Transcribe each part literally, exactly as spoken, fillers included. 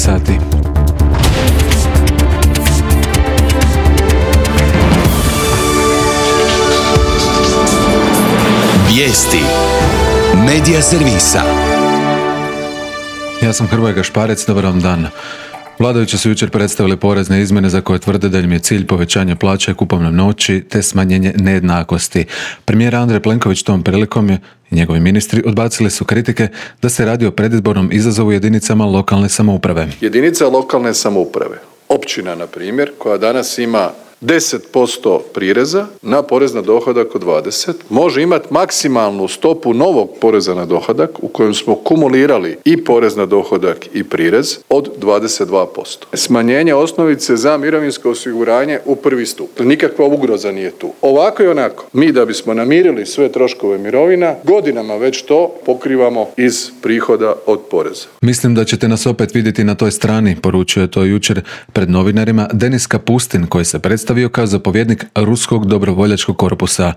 sati. Vijesti Medija servisa. Ja sam Hrvoje Gašparec, dobar vam dan. Vladajući su jučer predstavili porezne izmjene za koje tvrde da im je cilj povećanje plaća i kupovne moći te smanjenje nejednakosti. Premijer Andrej Plenković tom prilikom je i njegovi ministri odbacili su kritike da se radi o predizbornom izazovu jedinicama lokalne samouprave. Jedinica lokalne samouprave, općina na primjer, koja danas ima deset posto prireza na porez na dohodak od dvadeset, može imati maksimalnu stopu novog poreza na dohodak u kojem smo kumulirali i porez na dohodak i prirez od dvadeset dva posto. Smanjenje osnovice za mirovinsko osiguranje u prvi stup. Nikakva ugroza nije tu. Ovako i onako, mi da bismo namirili sve troškove mirovina, godinama već to pokrivamo iz prihoda od poreza. Mislim da ćete nas opet vidjeti na toj strani, poručio je to jučer pred novinarima Denis Kapustin, koji se predstavio kao zapovjednik Ruskog dobrovoljačkog korpusa.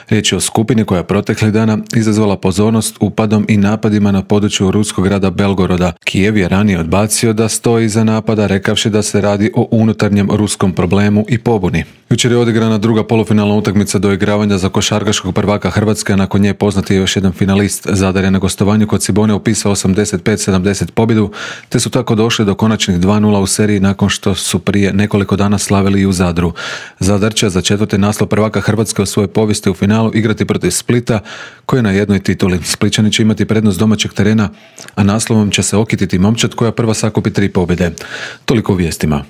Riječ je o skupini koja je proteklih dana izazvala pozornost upadom i napadima na području ruskog grada Belgoroda. Kijev je ranije odbacio da stoji iza napada, rekavši da se radi o unutarnjem ruskom problemu i pobuni. Jučer je odigrana druga polufinalna utakmica doigravanja za košarkaškog prvaka Hrvatske, a nakon nje poznati je još jedan finalist. Zadar je na gostovanju kod Cibone upisao osamdeset pet sedamdeset pobjedu, te su tako došli do konačnih dva nula u seriji nakon što su prije nekoliko dana slavili i u Zadru. Zadar će za četvrti naslov prvaka Hrvatske u svojoj povijesti u finalu igrati protiv Splita, koji je na jednoj tituli. Splićani će imati prednost domaćeg terena, a naslovom će se okititi momčad koja prva sakupi tri pobjede. Toliko u vijestima.